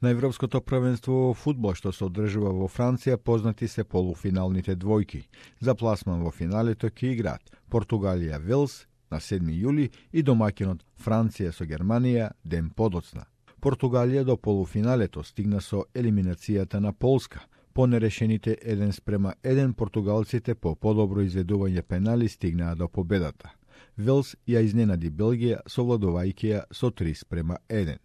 На Европското првенство во фудбал што се одржува во Франција познати се полуфиналните двојки. За пласман во финалето ќе играат Португалија Велс на 7 јули и домаќинот Франција со Германија ден подоцна. Португалија до полуфиналето стигна со елиминацијата на Полска. По нерешените 1:1 португалците по подобро изведување пенали стигнаа до победата. Велс ја изненади Белгија совладувајќи ја со 3:1.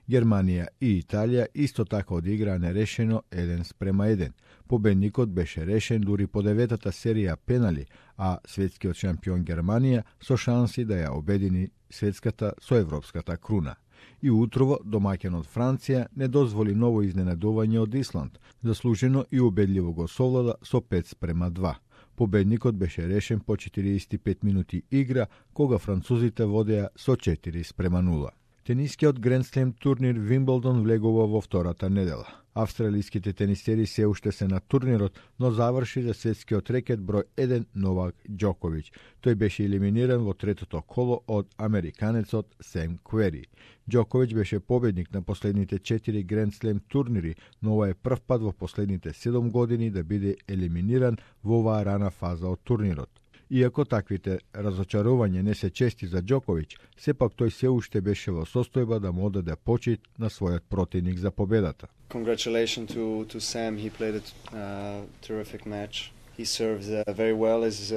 Германија и Италија исто така одиграа нерешено 1:1. Победникот беше решен дури по 9-та серија пенали, а светскиот шампион Германија со шанси да ја обедини светската со европската круна. И утрово домаќинот Франција не дозволи ново изненадување од Исланд, заслужено и убедливо го совлада со 5:2. Победникот беше решен по 45 минути игра, кога французите водеа со 4:0. Тенискиот Гранд Слем турнир Вимблдон влегува во втората недела. Австралиските тенисери се уште се на турнирот, но заврши за светскиот рекет број 1 Новак Џоковиќ. Тој беше елиминиран во третото коло од американецот Сем Квери. Џоковиќ беше победник на последните 4 Гранд Слем турнири, но ова е прв пат во последните 7 години да биде елиминиран во оваа рана фаза од турнирот. Иако таквите разочарувања не се чести за Џоковиќ, сепак тој се уште беше во состојба да му одаде почит на својот противник за победата. Congratulations to Sam. He played a terrific match. He serves very well as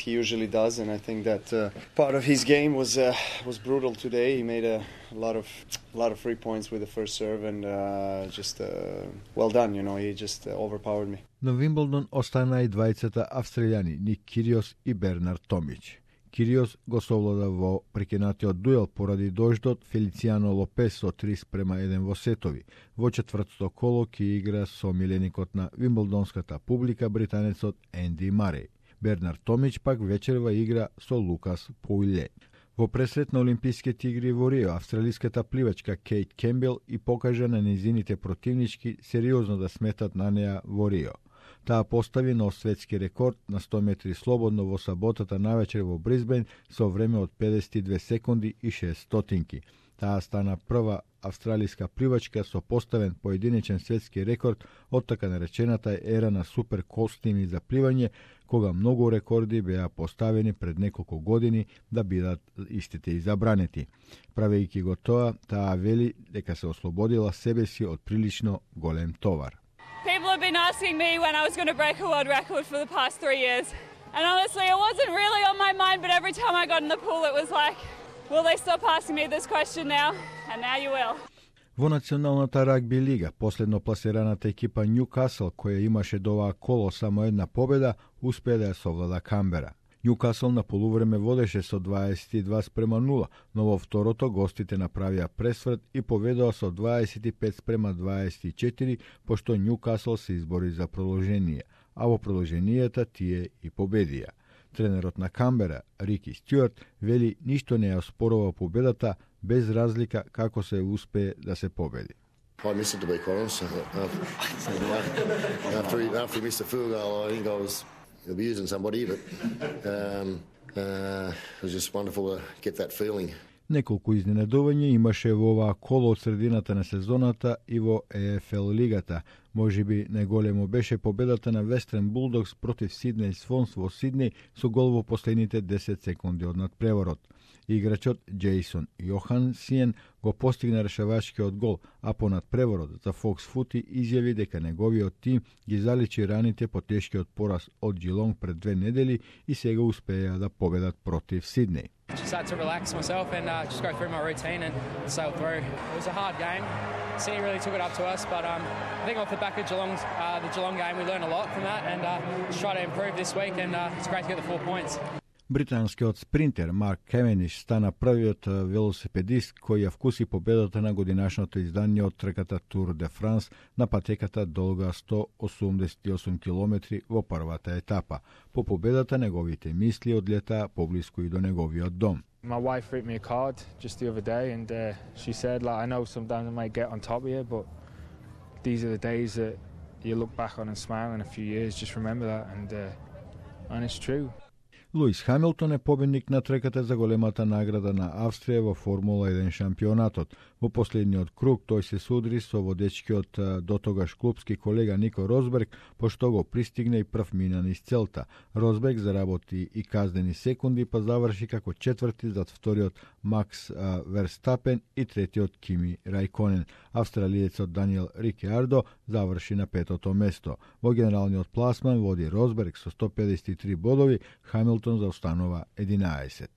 he usually does, and I think that part of his game was brutal today. He made a lot of free points with the first serve, and just well done. You know, he just overpowered me. На Вимблдон останаа и двајцата австралијани Ник Кириос и Бернард Томич. Кириос го совлада во прекинатиот дуел поради дождот Фелицијано Лопес со 3:1 во сетови. Во четвртото коло ќе игра со миленикот на вимблдонската публика британецот Енди Мареј. Бернард Томич пак вечерва игра со Лукас Поујле. Во пресрет на Олимписките игри во Рио, австралиската пливачка Кейт Кембел и покажа на незините противнички сериозно да сметат на неа во Рио. Таа постави нов светски рекорд на 100 метри слободно во саботата навечер во Брисбен со време од 52 секунди и 6 стотинки. Таа стана прва австралиска пливачка со поставен поединечен светски рекорд од така наречената ера на супер костими за пливање, кога многу рекорди беа поставени пред неколку години да бидат истите и забранети. Правејќи го тоа, таа вели дека се ослободила себе си од прилично голем товар. People have been asking me when I was going to break a world record for the past 3 years. And honestly, it wasn't really on my mind, but every time I got in the pool, it was like, will they stop asking me this question now? And now you will. Во националната рагби лига, последно пласираната екипа Нјукасл, која имаше до оваа коло само една победа, успеа да ја совлада Камбера. Нјукасл на полувреме водеше со 22:0, но во второто гостите направија пресврт и поведоа со 25:24, пошто Нјукасл се избори за продолжение, а во продолженијата тие и победија. Тренерот на Камбера, Рики Стюарт, вели ништо не ја оспорува победата, без разлика како се успее да се победи. I missed it, to be quite honest. After he missed the field goal, I think I was abusing somebody, but it was just wonderful to get that feeling. Неколку изненадувања имаше во оваа коло од средината на сезоната и во ЕФЛ лигата. Можеби најголемо беше победата на Вестерн Булдогс против Сиднеј Свонс во Сиднеј со гол во последните 10 секунди од надпреворот. Играчот Джейсон Јохансиен го постигна решавачкиот гол, а по надпреворот за Fox Footy изјави дека неговиот тим ги заличи раните по тешкиот пораз од Джилонг пред 2 недели и сега успеа да победат против Сиднеј. Just had to relax myself and just go through my routine and sail through. It was a hard game. Sydney really took it up to us, but I think off the back of the Geelong game, we learned a lot from that and just try to improve this week and it's great to get the 4 points. Британскиот спринтер Марк Кевениш стана првиот велосипедист кој ја вкуси победата на годинашното издание од трката Тур де Франс на патеката долга 188 километри во првата етапа. По победата неговите мисли одлетаа поблиску и до неговиот дом. My wife wrote me a card just the other day and she said, like, I know sometimes I might get on top of you, but these are the days that you look back on and smile in a few years. Just remember that and it's true. Луис Хамилтон е победник на трката за големата награда на Австрија во Формула 1 шампионатот. Во последниот круг тој се судри со водечкиот дотогаш клубски колега Нико Росберг, пошто го пристигне и прв мина низ целта. Росберг заработи и казнени секунди, па заврши како четврти зад вториот Макс Верстапен и третиот Кими Рајконен. Австралиецот Даниел Рикиардо заврши на петото место. Во генералниот пласман води Росберг со 153 бодови, Хамилтон заостанува 11.